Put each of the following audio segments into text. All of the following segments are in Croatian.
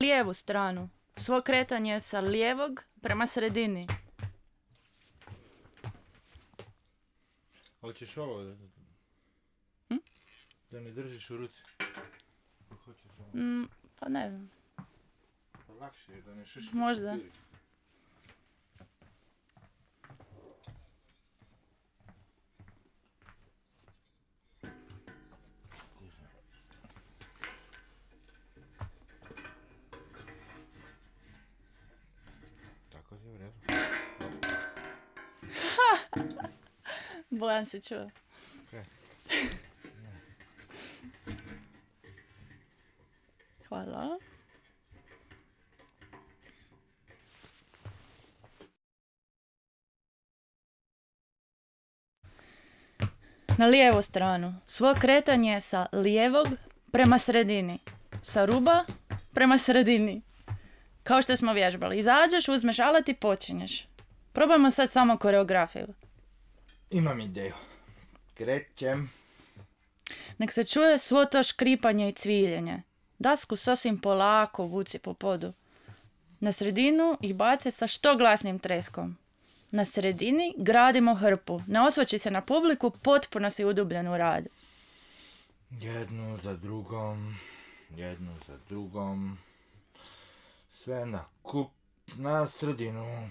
lijevu stranu. Svo kretanje sa lijevog prema sredini. Hoćeš ovo da ne držiš u ruci? Hoćeš ovo? Pa ne znam. Pa lakše je da ne šuškaš. Možda. Papiri. Tako je u redu. Bojan se čuo. Okay. Hvala. Na lijevu stranu. Svo kretanje sa lijevog prema sredini. Sa ruba prema sredini. Kao što smo vježbali. Izađeš, uzmeš alat i počinješ. Probajmo sad samo koreografiju. Imam ideju. Krećem. Nek se čuje svo to škripanje i cviljenje. Dasku sasvim polako vuci po podu. Na sredinu ih bace sa što glasnim treskom. Na sredini gradimo hrpu. Ne osvrći se na publiku, potpuno si udubljen u rad. Jednu za drugom. Jednu za drugom. Sve na kup, na sredinu.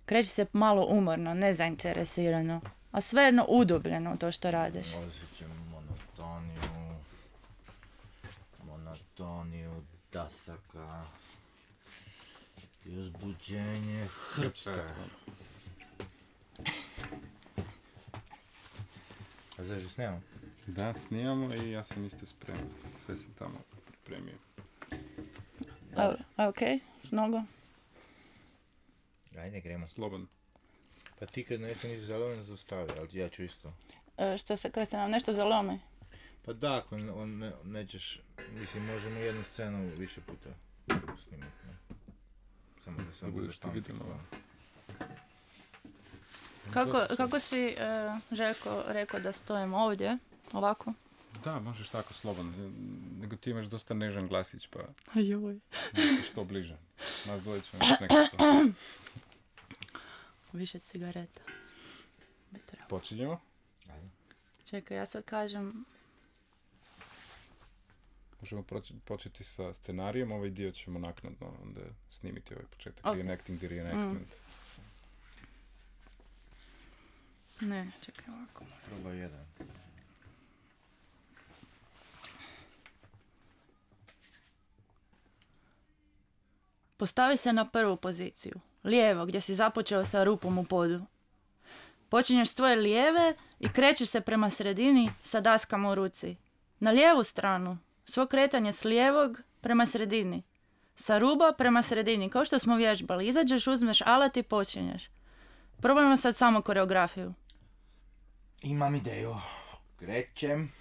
Kreći se malo umorno, nezainteresirano, a svejedno udubljeno u to što radiš. Osjećam monotoniju dasaka i uzbuđenje hrpe. A znaš snimamo? Da, snimamo i ja sam isto spreman. Sve sam tamo pripremio. Ok, s nogom. Ajde, gremo. Slobodno. Pa ti kad nešto nisi zalomen, zaustavi, ali ja ću isto. Što se, kad se nam nešto zalomi? Pa da, ako nećeš, mislim, možemo jednu scenu više puta snimati, ne? Samo da se Da budeš ti vidjela. Kako si, Željko, rekao da stojimo ovdje, ovako? Da, možeš tako slobodno. Nego ti imaš dosta nežan glasić, pa Joj. što bliže. Nas dvoje ćemo nekako. Više cigareta. Počinjemo. Ajde. Čekaj, ja sad kažem... Možemo početi sa scenarijem, ovaj dio ćemo naknadno onda snimiti ovaj početak. Okay. Reenacting the reenactment. Ne, čekaj ovako. Probaj jedan. Postavi se na prvu poziciju, lijevo, gdje si započeo sa rupom u podu. Počinješ s tvoje lijeve i krećeš se prema sredini sa daskama u ruci. Na lijevu stranu, svo kretanje s lijevog prema sredini. Sa ruba prema sredini, kao što smo vježbali. Izađeš, uzmeš alat i počinješ. Probajmo sad samo koreografiju. Imam ideju. Krećem.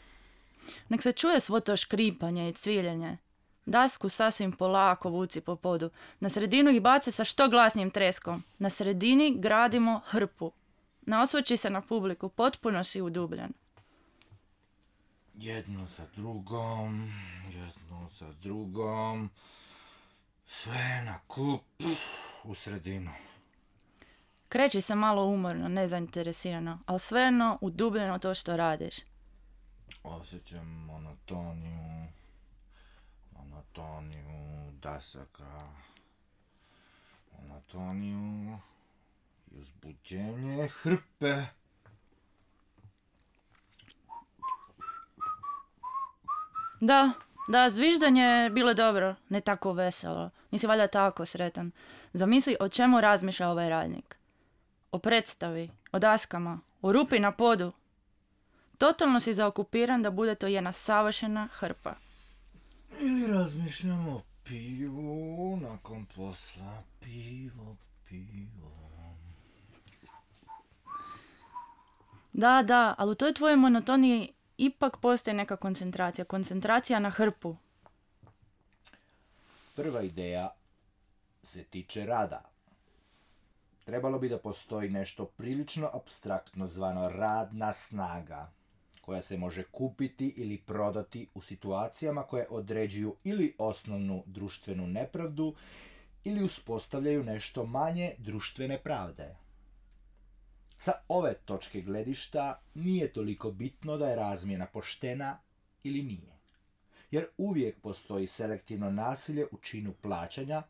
Nek se čuje svo to škripanje i cviljenje. Dasku sasvim polako vuci po podu. Na sredinu ih bace sa što glasnijim treskom. Na sredini gradimo hrpu. Ne osvrći se na publiku, potpuno si udubljen. Jednu za drugom, jednu za drugom. Sve na kup, u sredinu. Kreći se malo umorno, nezainteresirano, ali svejedno udubljeno to što radiš. Osjećam monotoniju dasaka. Monotoniju i uzbuđenje hrpe. Da, zviždanje je bilo dobro, ne tako veselo. Nisi valjda tako sretan. Zamisli o čemu razmišlja ovaj radnik. O predstavi, o daskama, o rupi na podu. Totalno si zaokupiran da bude to jedna savršena hrpa. Ili razmišljam o pivu nakon posla. Pivo. Da, ali u toj tvojoj monotoniji ipak postoji neka koncentracija. Koncentracija na hrpu. Prva ideja se tiče rada. Trebalo bi da postoji nešto prilično apstraktno zvano radna snaga. koja se može kupiti ili prodati u situacijama koje određuju ili osnovnu društvenu nepravdu ili uspostavljaju nešto manje društvene pravde. Sa ove točke gledišta nije toliko bitno da je razmjena poštena ili nije, jer uvijek postoji selektivno nasilje u činu plaćanja,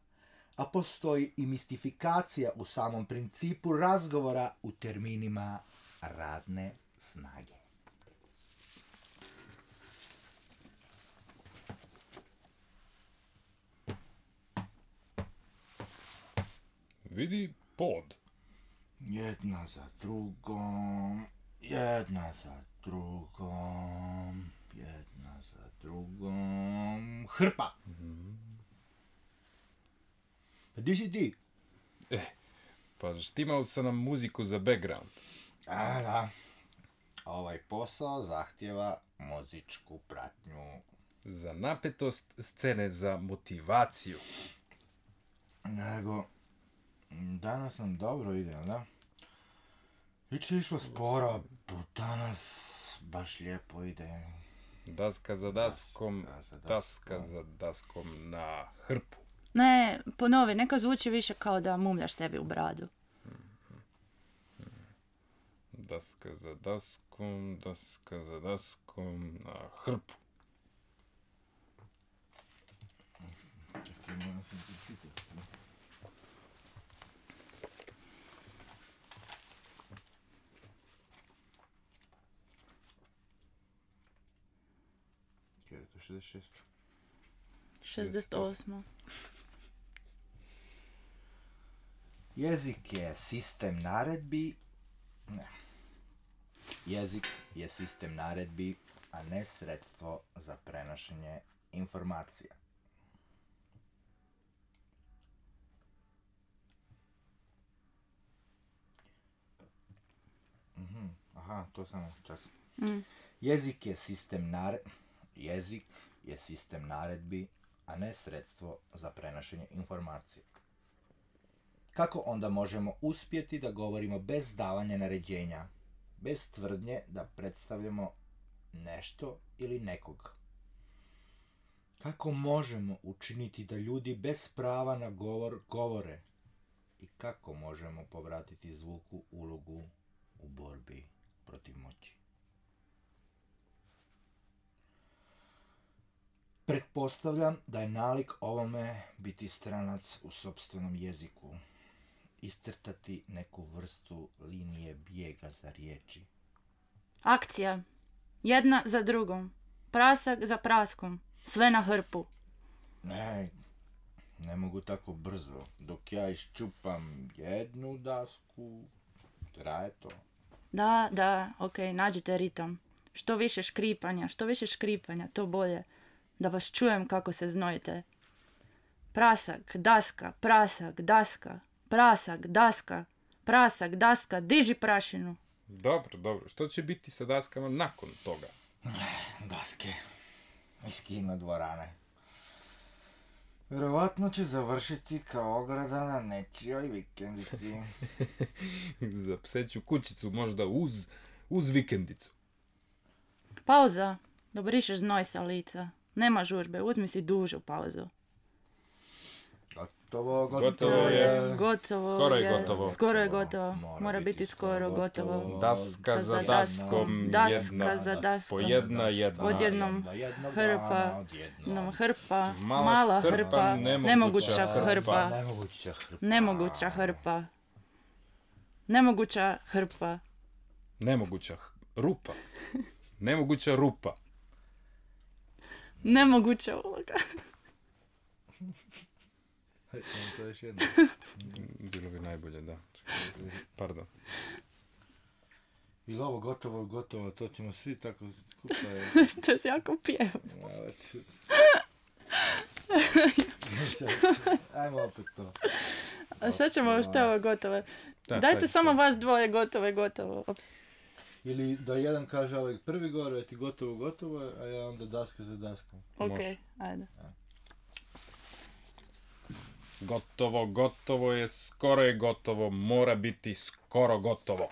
a postoji i mistifikacija u samom principu razgovora u terminima radne snage. Vidi pod. Jedna za drugom, jedna za drugom, jedna za drugom, hrpa! Pa di si ti? Pa štimao sam nam muziku za background. A, da. Ovaj posao zahtjeva muzičku pratnju. Za napetost scene, za motivaciju. Nego, danas nam dobro ide, da? Jučer je išlo sporo, danas baš lijepo ide. Daska za daskom, Daska za daska daskom. za daskom na hrpu. Ne, ponovi, neka zvuči više kao da mumljaš sebi u bradu. Daska za daskom, daska za daskom na hrpu. Čekaj, moram sam ti čitati. Kaj je to, 66? 68. Jezik je sistem naredbi. Ne. Jezik je sistem naredbi, a ne sredstvo za prenošenje informacija. Aha, to samo čak. Jezik je sistem naredbi, a ne sredstvo za prenošenje informacija. Kako onda možemo uspjeti da govorimo bez davanja naređenja, bez tvrdnje da predstavljamo nešto ili nekog? Kako možemo učiniti da ljudi bez prava na govor govore? I kako možemo povratiti zvuku ulogu u borbi protiv moći? Pretpostavljam da je nalik ovome biti stranac u sopstvenom jeziku, iscrtati neku vrstu linije bijega za riječi. Akcija. Jedna za drugom. Prasak za praskom. Sve na hrpu. Ne mogu tako brzo. Dok ja iščupam jednu dasku, traje to. Da, okej, nađite ritam. Što više škripanja, to bolje. Da vas čujem kako se znojite. Prasak, daska, prasak, daska. Prasak, daska, prasak, daska, diži prašinu. Dobro. Što će biti sa daskama nakon toga? Daske iz kino dvorane. Vjerovatno će završiti kao ograda na nečijoj vikendici. Za pseću kućicu, možda uz vikendicu. Pauza. Dobrišeš znoj sa lica. Nema žurbe, uzmi si dužu pauzu. Gotovo je. Skoro je gotovo. Mora biti skoro gotovo. Daska za daskom, Daska za daskom. po jedna. Odjednom hrpa, odjednom hrpa, Mala mala hrpa, hrpa, nemoguća nemoguća hrpa. nemoguća hrpa, nemoguća hrpa. Nemoguća rupa. Nemoguća rupa. Nemoguća uloga. To je još jedno. Bilo bi najbolje, da. Pardon. I ovo gotovo, to ćemo svi tako skupa. Što se jako pjeva. Ajmo opet to. A šta ćemo što ovo gotovo? Dajte samo vas dvoje gotovo. Ops. Ili da jedan kaže ovaj prvi govor, ti gotovo, a ja onda daska za daskom. Okej, ajde. Gotovo je, skoro je gotovo, mora biti skoro gotovo.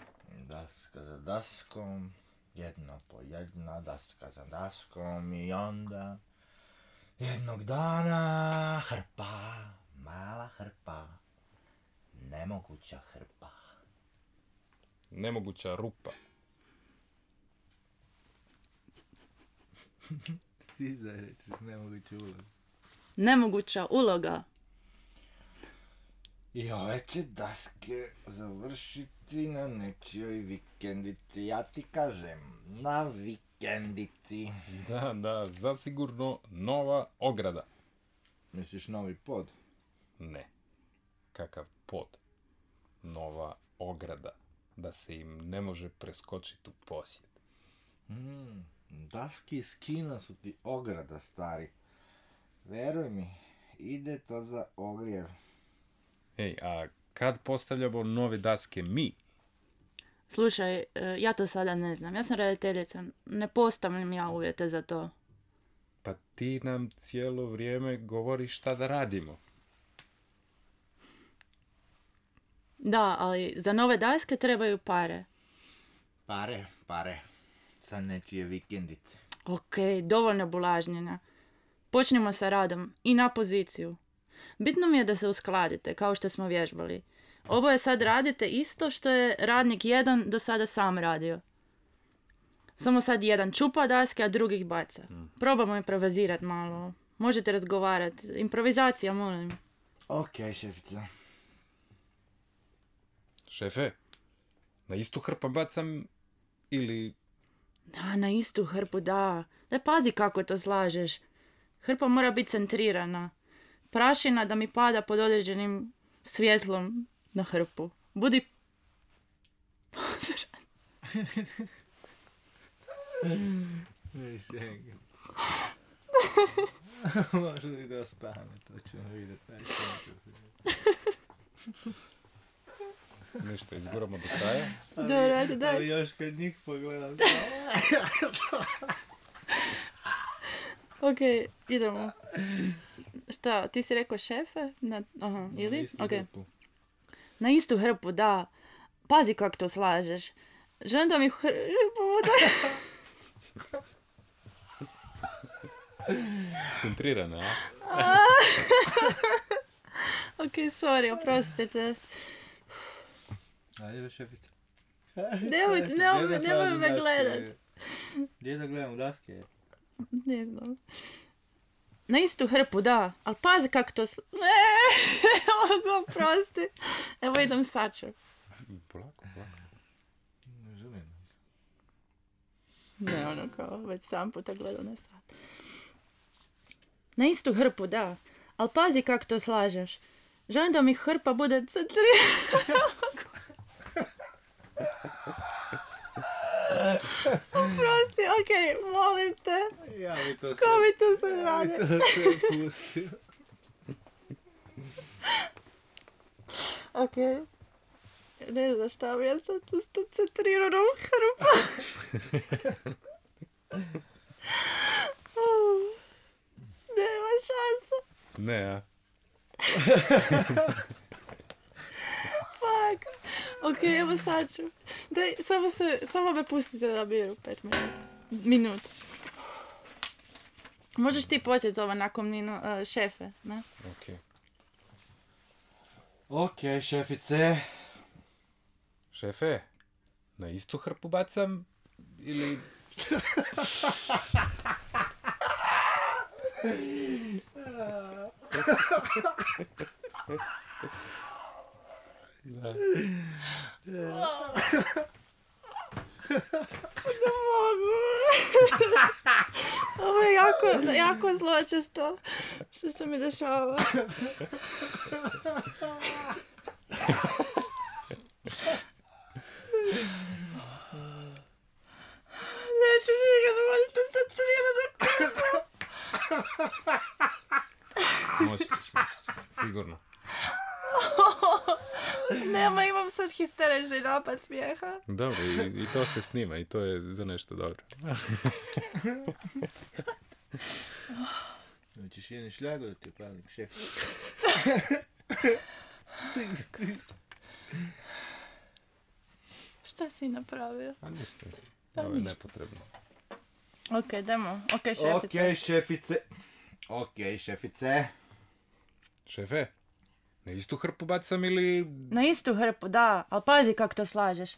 Daska za daskom. Jedno po jedna, daska za daskom i onda jednog dana hrpa, mala hrpa, nemoguća hrpa. Nemoguća rupa. Ti da rečiš nemoguća uloga. Nemoguća uloga. I ove će daske završiti na nečijoj vikendici. Ja ti kažem, na vikendici. Da, zasigurno nova ograda. Misliš novi pod? Ne. Kakav pod? Nova ograda. Da se im ne može preskočiti u posjed. Daski iz kina su ti ograda, stari. Veruj mi, ide to za ogrjev. Ej, a kad postavljamo nove daske mi? Slušaj, ja to sada ne znam. Ja sam redateljica. Ne postavljam ja uvjete za to. Pa ti nam cijelo vrijeme govoriš šta da radimo. Da, ali za nove daske trebaju pare. Pare. Sa nečije vikendice. Ok, dovoljno bulažnjenja. Počnimo sa radom i na poziciju. Bitno mi je da se uskladite, kao što smo vježbali. Oboje sad radite isto što je radnik jedan do sada sam radio. Samo sad jedan čupa daske, a drugih baca. Probamo improvizirati malo. Možete razgovarati. Improvizacija, molim. Ok, šefica. Šefe, na istu hrpu bacam ili... Da, na istu hrpu, da. Daj pazi kako to slažeš. Hrpa mora biti centrirana. Prašina da mi pada pod određenim svjetlom na hrpu. Budi pozoran. Može li da ostane, to ćemo vidjeti. Ništa, izguramo do kraja. Dobro, ajde, daj. Ali još kad njih pogledam. Ok, idemo. Šta, ti si rekao šefe? Aha, ili? Ok. Na istu hrpu, da. Pazi kako to slažeš. Želim da mi hrpu bude... Centrirana, a? Ok, sorry, oprostite. Ajde, šefica. Nemoj me gledat. Gdje da gledam daske? Ne znam. Na istu hrpu, da. Ali pazi kako to... Ne mogu, oprosti. Evo idem saču. Polako. Ne želim. Ne, ono kao, već 7 puta gledao na sat. Na istu hrpu, da. Ali pazi kako to slažeš. Želim da mi hrpa bude centrirana. Oprosti, okej, molim te. Ja bi to Ko mi to sad radi? Ja bi to sve pustio. Okej. Ne znam šta mi je sad tu s tom centriranom hrpom. Nema šansa. Ne, a? Fuck. Ok, evo sad ću. Daj, samo me pustite da biru 5 minuta. Možeš ti početi ovo nakon šefe, ne? Ok. Ok, šefice. Šefe, na istu hrpu bacam ili... Da. Ne mogu. Ovo je jako zločesto što se mi dešava. Neću nikad voditi u centriranu kuću. Možeš, sigurno. Nema, imam sad histerični napad smijeha. Dobro, i to se snima i to je za nešto dobro. Hoćeš jedan šljago da ti upalim, šef? Šta si napravio? A ništa. Ovo je nepotrebno. Ok, demo. Ok, šefice. Ok, šefice. Šefe, na istu hrpu bacam ili... Na istu hrpu, da, ali pazi kako to slažeš.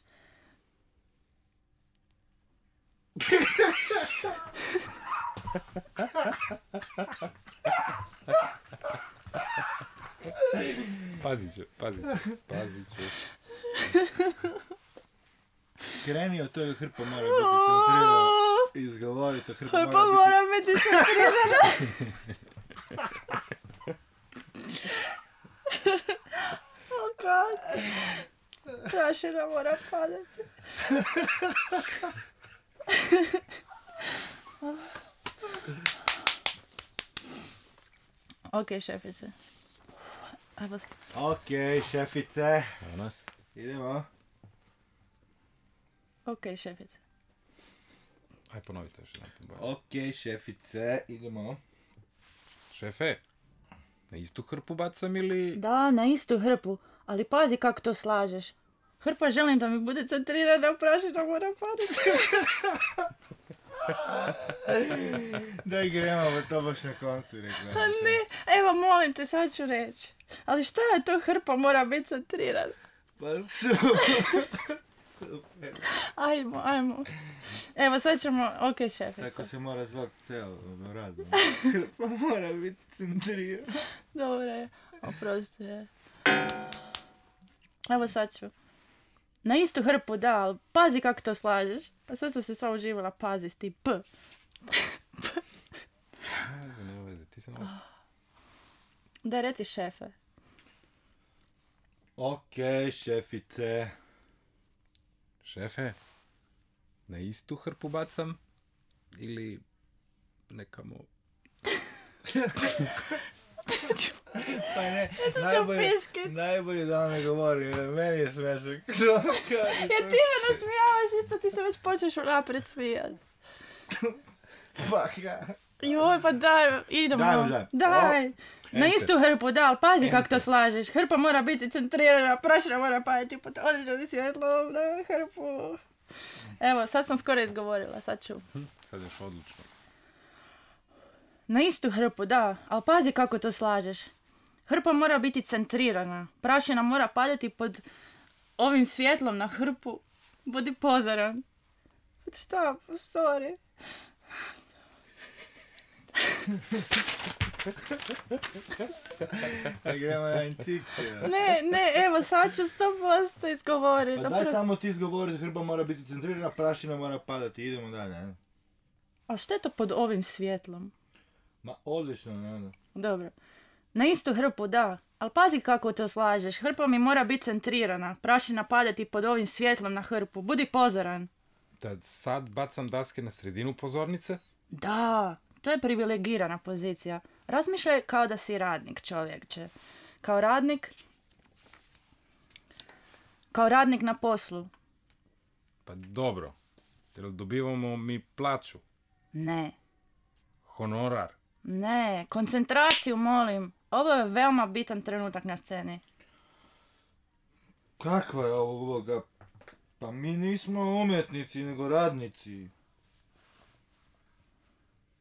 Pazit ću. Kreni od toga, hrpa mora biti centrirana. Izgovorite, hrpa Mora biti centrirana. Oh god. Prašina mora padati. Ok, šefice. Evo. Ok, šefice. Evo nas. Idemo. Ok, šefice. Aj, ponovite još jedan put. Ok, šefice. Idemo. Šefe, na istu hrpu bacam ili... Da, na istu hrpu, ali pazi kako to slažeš. Hrpa želim da mi bude centrirana, prašina mora padati. Daj gremo, to baš na koncu rekla. Ne, evo molim te, sad ću reći. Ali šta je to, hrpa mora biti centrirana? Pa super. Ajmo. Evo sad ćemo, ok šefice. Tako se mora zvati celo rad. Hrpa mora biti centrirana. Dobro je, oprostite. Evo sad ću. Na istu hrpu, da, ali pazi kako to slažeš. A sad sam se sva uživala, pazi s ti p. Nema veze, ti se nema... Da, reci šefe. Ok, šefice. Šefe, na istu hrpu bacam ili nekamo... Pa ne, piške. najbolje da ne govori, meni je smešak. Ja ti me nasmijavaš, isto ti se već počeš unaprijed smijat. Fuck ja. Joj, pa daj, idemo. Daj. Na istu hrpu, da, ali pazi kako to slažeš. Hrpa mora biti centrirana, prašina mora padati pod određenim svjetlom na hrpu. Evo, sad sam skoro izgovorila, sad ću. Sad još odlučno. Na istu hrpu, da, ali pazi kako to slažeš. Hrpa mora biti centrirana, prašina mora padati pod ovim svjetlom na hrpu. Budi pozoran. Šta, sorry. Gremo jedan čik. Ne, evo sad ću 100% izgovoriti. Pa daj samo ti izgovoriti, hrpa mora biti centrirana, prašina mora padati, idemo dalje. A što je to pod ovim svjetlom? Ma odlično, ne. Dobro. Na istu hrpu, da, ali pazi kako to slažeš. Hrpa mi mora biti centrirana, prašina padati pod ovim svjetlom na hrpu. Budi pozoran. Da sad bacam daske na sredinu pozornice? Da, to je privilegirana pozicija. Razmišljaj kao da si radnik, čovjekče. Kao radnik na poslu. Pa dobro. Jel dobivamo mi plaću? Ne. Honorar? Ne, koncentraciju molim. Ovo je veoma bitan trenutak na sceni. Kakva je ovo uloga? Pa mi nismo umjetnici, nego radnici.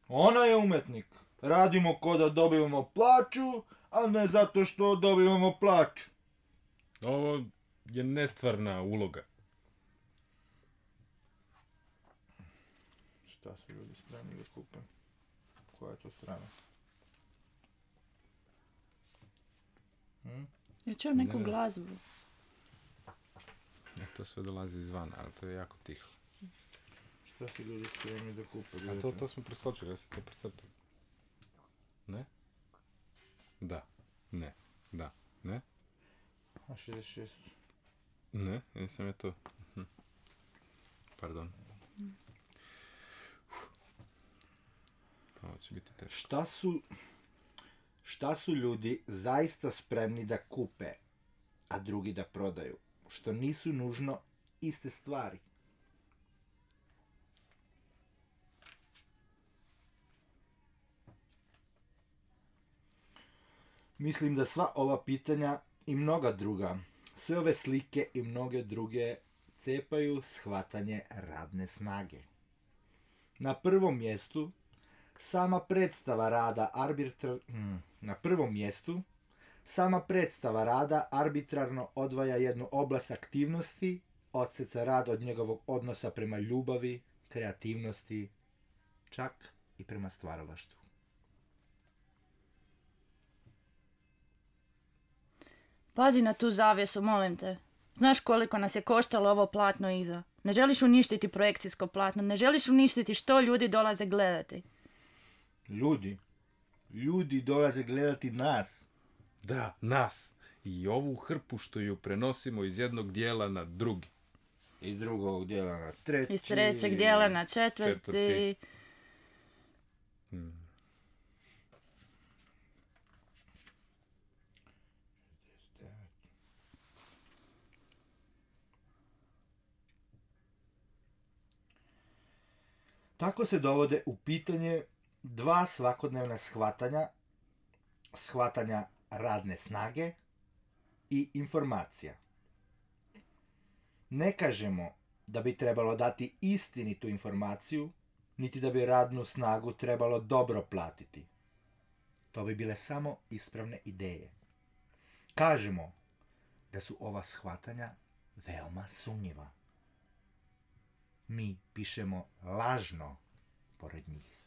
Ona je umjetnik. Radimo ko da dobivamo plaću, a ne zato što dobivamo plaću. Ovo je nestvarna uloga. Šta su ljudi spremni da kupe? Koja je to strana? Ja čujem neku Ne. glazbu. To sve dolazi izvana, ali to je jako tiho. Šta su ljudi spremni da kupe? A to smo preskočili, ja sam to precrtao. Ne? Da. Ne. Da. Ne? A 66. Ne, nisam je to. Pardon. Ovo će biti teško. Šta su ljudi zaista spremni da kupe, a drugi da prodaju? Što nisu nužno iste stvari. Mislim da sva ova pitanja i mnoga druga, sve ove slike i mnoge druge cepaju shvatanje radne snage. Na prvom mjestu sama predstava rada arbitrarno odvaja jednu oblast aktivnosti, odseca rad od njegovog odnosa prema ljubavi, kreativnosti, čak i prema stvaralaštvu. Pazi na tu zavjesu, molim te. Znaš koliko nas je koštalo ovo platno iza. Ne želiš uništiti projekcijsko platno, ne želiš uništiti što ljudi dolaze gledati. Ljudi dolaze gledati nas. Da, nas. I ovu hrpu što ju prenosimo iz jednog dijela na drugi. Iz drugog dijela na treći. Iz trećeg dijela na četvrti. Tako se dovode u pitanje dva svakodnevna shvatanja radne snage i informacija. Ne kažemo da bi trebalo dati istinitu informaciju, niti da bi radnu snagu trebalo dobro platiti. To bi bile samo ispravne ideje. Kažemo da su ova shvatanja veoma sumnjiva. Mi pišemo lažno pored njih.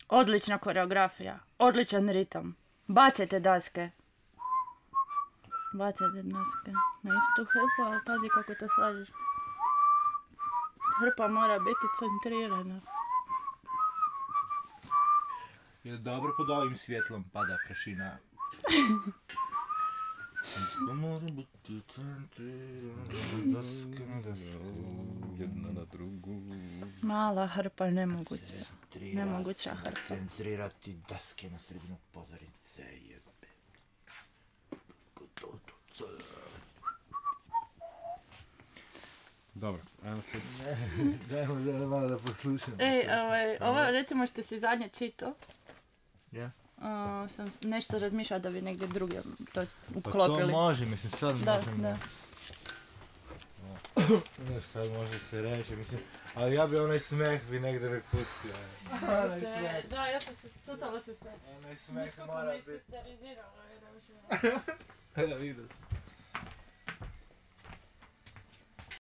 Odlična koreografija, odličan ritam. Bacajte daske. Bacajte daske na istu hrpu, ali pazi kako to slažeš. Hrpa mora biti centrirana. Je dobro pod ovim svjetlom pada prašina. Mora biti centrirana, daske na dasku, jedna na drugu. Mala hrpa, nemoguća. Nemoguća hrpa. Centrirati daske na sredinu pozornice. Dobro, ajmo se... Dajmo malo da poslušam. Ovo recimo što si zadnje čitao. Ja? Sam nešto razmišljala da bi negdje drugdje to Pa uklopili. to može, mislim, sad možemo. Da. Sad može se reći, mislim, ali ja bi onaj smeh bi negdje bi pustio. Onaj smeh. Da, ja sam se, totalno se Onaj smeh mora biti. iskristerizirala. Da, vidio sam.